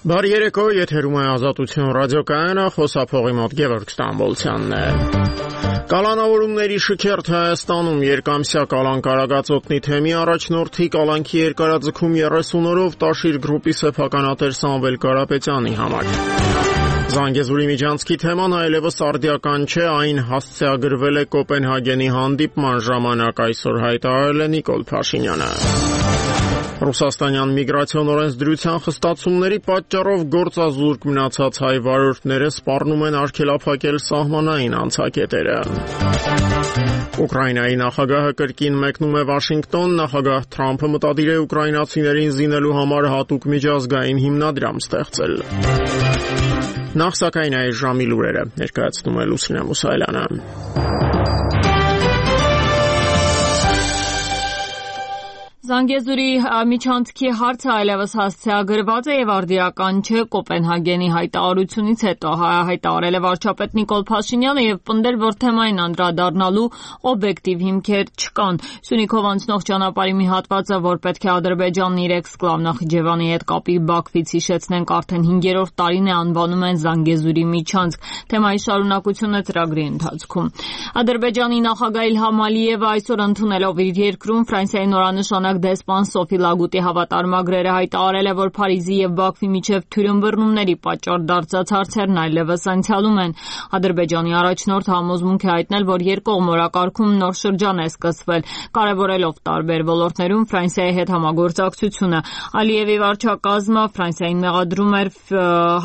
Բարի երեկո, եթերում է Ազատություն ռադիոկայանը, խոսափողի մոտ Գևորգ Ստամբոլցյանն է։ Կալանավորումների շքերթ Հայաստանում երկամսյա կալանք արագածոտնի թեմի առաջնորդի կալանքի երկարաձգում 30 օրով Տաշիր գրուպի սեփականատեր Սամվել Կարապետյանի համար։ Զանգեզուրի միջանցքի թեման այլևս արդիական չէ, այն հասցեագրվել է Կոպենհագենի հանդիպման ժամանակ, այսօր հայտարարել է Նիկոլ Փաշինյանը։ Ռուսաստանյան միգրացիոն օրենսդրության խստացումների պատճառով գործազուրկ մնացած հայ վարորդները սպառնում են արգելափակել սահմանային անցակետերը։ Ուկրաինայի նախագահը կրկին մեկնում է Վաշինգտոն, նախագահ Թրամփը մտադիր է ուկրաինացիներին զինելու համար հատուկ միջազգային հիմնադրամ ստեղծել։ Նախ սակայն այս ժամի լուրերը ներկայացնում է Լուսինե Մուսայելյանը։ Զանգեզուրի միջանցքի հարցը այլևս հասցեագրված է եւ արդիական չէ Կոպենհագենի հայտարարությունից հետո հայտարարել է վարչապետ Նիկոլ Փաշինյանը եւ պնդել, որ թեմային անդրադառնալու օբյեկտիվ հիմքեր չկան։ Սյունիքով անցնող ճանապարհի մի հատվածը, որ պետք է Ադրբեջանն իր էքսկլավ Նախիջևանի հետ կապի Բաքվից հիշեցնենք, արդեն 5-րդ տարին է անվանում են Զանգեզուրի միջանցք։ Թեմայի շարունակությունը ծրագրի ընթացքում։ Ադրբեջանի նախագահ Իլհամ Ալիևը այսօր ընդունելով իր երկրում Ֆրանսիայի նորանշանակ դեսպան Սոֆի Լագուտի հավատարմագրերը հայտարարել է, որ Փարիզի եւ Բաքվի միջև թյուրըմբռնումների պատճառ դարձած հարցերն այլևս անցյալում են։ Ադրբեջանի առաջնորդ համոզմունք է հայտնել, որ երկկողմ օրակարգում նոր շրջան է սկսվել, կարևորելով տարբեր ոլորտներում Ֆրանսիայի հետ համագործակցությունը։ Ալիևի վարչակազմը Ֆրանսիային մեղադրում էր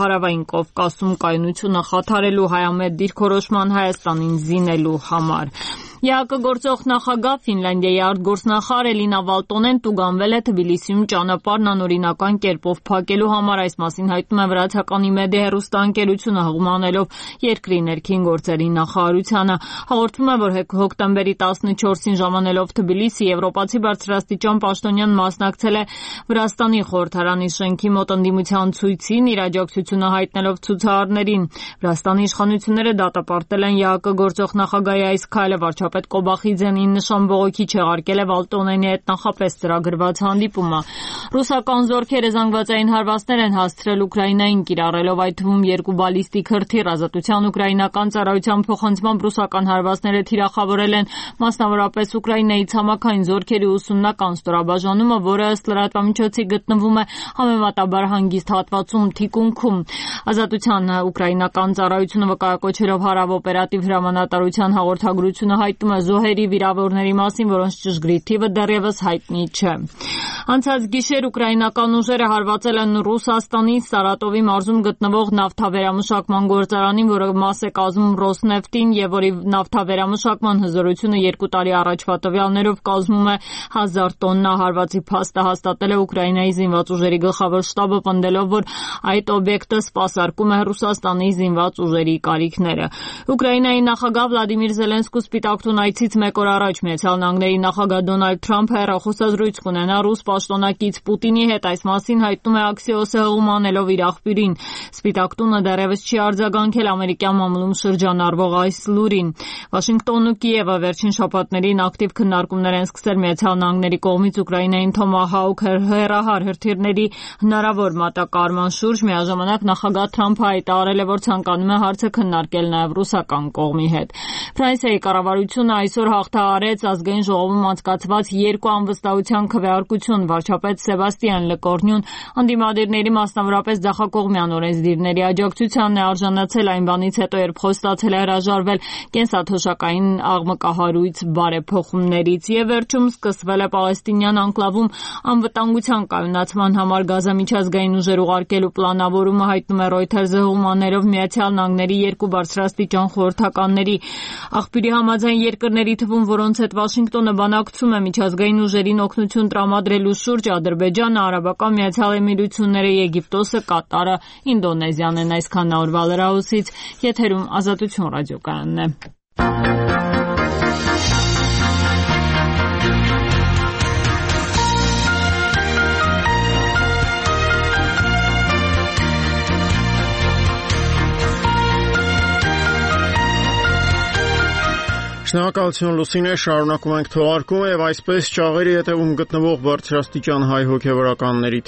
Հարավային Կովկասում կայունությունը խաթարելու հայամետ դիրքորոշման Հայաստանին զինելու համար։ ԵԱԿ գործող նախագահ Ֆինլանդիայի արտգործնախարար Էլինա Վալտոնեն տուգանվել է Թբիլիսիում ճանապարհն անօրինական կերպով փակելու համար, այս մասին հայտնում է վրացականի Մեդիա հեռուստաընկերությունը, հղումանելով երկրի ներքին գործերի նախարարությանը։ Հաղորդվում է, որ հոկտեմբերի 14-ին ժամանելով Թբիլիսի, եվրոպացի բարձրաստիճան պաշտոնյան մասնակցել է Վրաստանի խորհրդարանի շենքի մոտ ընդդիմության ցույցին, իր աջակցությունը հայտնելով ցուցարարներին։ Վրաստանի իշխանությունները դատապարտել են ԵԱԿ գործող նախագահի այս քայլը, վարչապետ Կոբախիձյանին նշան բողոքի չեղարկել է Վալտոնենի հետ նախապես ծրագրված հանդիպումը։ Ռուսական զորքերը զանգվածային հարվածներ են հասցրել Ուկրաինային, կիրառելով այդ թվում 2 բալիստիկ հրթիռ։ Ազատության ուկրաինական ծառայության փոխանցմամբ ռուսական հարվածները թիրախավորել են մասնավորապես Ուկրաինայի ցամաքային զորքերի ուսումնական ստորաբաժանումը, որը ըստ լրատվամիջոցի գտնվում է համեմատաբար հանգիստ հատվածում թիկունքում։ Ազատության ուկրաինական ծառայությունը վկայակոչելով հարավօպերատիվ հրամանատարության հաղորդագրությունը հայտնում է զոհերի վիրավորների մասին, որոնց ճշգրիտ թիվը դեռևս հայտնի չէ։ Անցած գիշեր ուկրաինական ուժերը հարվածել են Ռուսաստանի Սարատովի մարզում գտնվող նավթավերամշակման գործարանին, որը մաս է կազմում Ռոսնեֆտին եւ որի նավթավերամշակման հզորությունը 2 տարի առաջվա տվյալներով կազմում է 1000 տոննա։ Հարվածի փաստը հաստատել է Ուկրաինայի զինված ուժերի գլխավոր շտաբը, պնդելով, որ այդ օբյեկտը սպասարկում է Ռուսաստանի զինված ուժերի կարիքները։ Ուկրաինայի նախագահ Վլադիմիր Զելենսկու Սպիտակ տուն այցից մեկ օր առաջ Միացյալ Նահանգների նախագահ Դոնալդ Թրամփը հեռախոսազրույց կունենա ռուս պաշտոնակից Պուտինի հետ, այս մասին հայտնում է Axios-ը հղումանելով իր աղբյուրին։ Սպիտակ տունը դեռևս չի արձագանքել ամերիկյան մամուլում շրջանառվող այս լուրին։ Վաշինգտոնն ու Կիևը վերջին շաբաթներին ակտիվ քննարկումներ են սկսել Միացյալ Նահանգների կողմից Ուկրաինային Թոմահաուք հեռահար հրթիռների հնարավոր մատակարարման շուրջ։ Միաժամանակ նախագահ Թրամփը հայտարարել է, որ ցանկանում է հարցը քննարկել նաև ռուսական կողմի հետ։ Ֆրանսիայի կառավարությունը այսօր հաղթահարեց ազգային ժողովում անցկացված 2 անվստահության քվեարկություն։ Վարչապետ Սեբաստիան Լեկորնյուն ընդդիմադիրների, մասնավորապես ձախակողմյան օրենսդիրների աջակցությանն է արժանացել այն բանից հետո, երբ խոստացել է հրաժարվել կենսաթոշակային աղմկահարույց բարեփոխումներից։ Եվ վերջում սկսվել է Պալեստինյան անկլավում անվտանգության կայունացման համար Գազա միջազգային ուժեր ուղարկելու պլանավորումը, հայտնում է Reuters-ը հղումաներով Միացյալ Նահանգների 2 բարձրաստիճան խորհրդականների։ Աղբյուրի համաձայն երկրների թվում, որոնց հետ Վաշինգտոնը բանակցում է միջազգային ուժերին օգնություն տրամադրելու շուրջ, Ադրբեջանը, Արաբական Միացյալ Էմիրությունները, Եգիպտոսը, Կատարը, Ինդոնեզիան են։ Այսքանն է օրվա լրահոսից, եթերում Ազատություն ռադիոկայանն է։ Շնորհակալություն Լուսինե, շարունակում ենք թողարկումը եւ այսպես ճաղերի հետևում գտնվող բարձրաստիճան հայ հոգեվորականների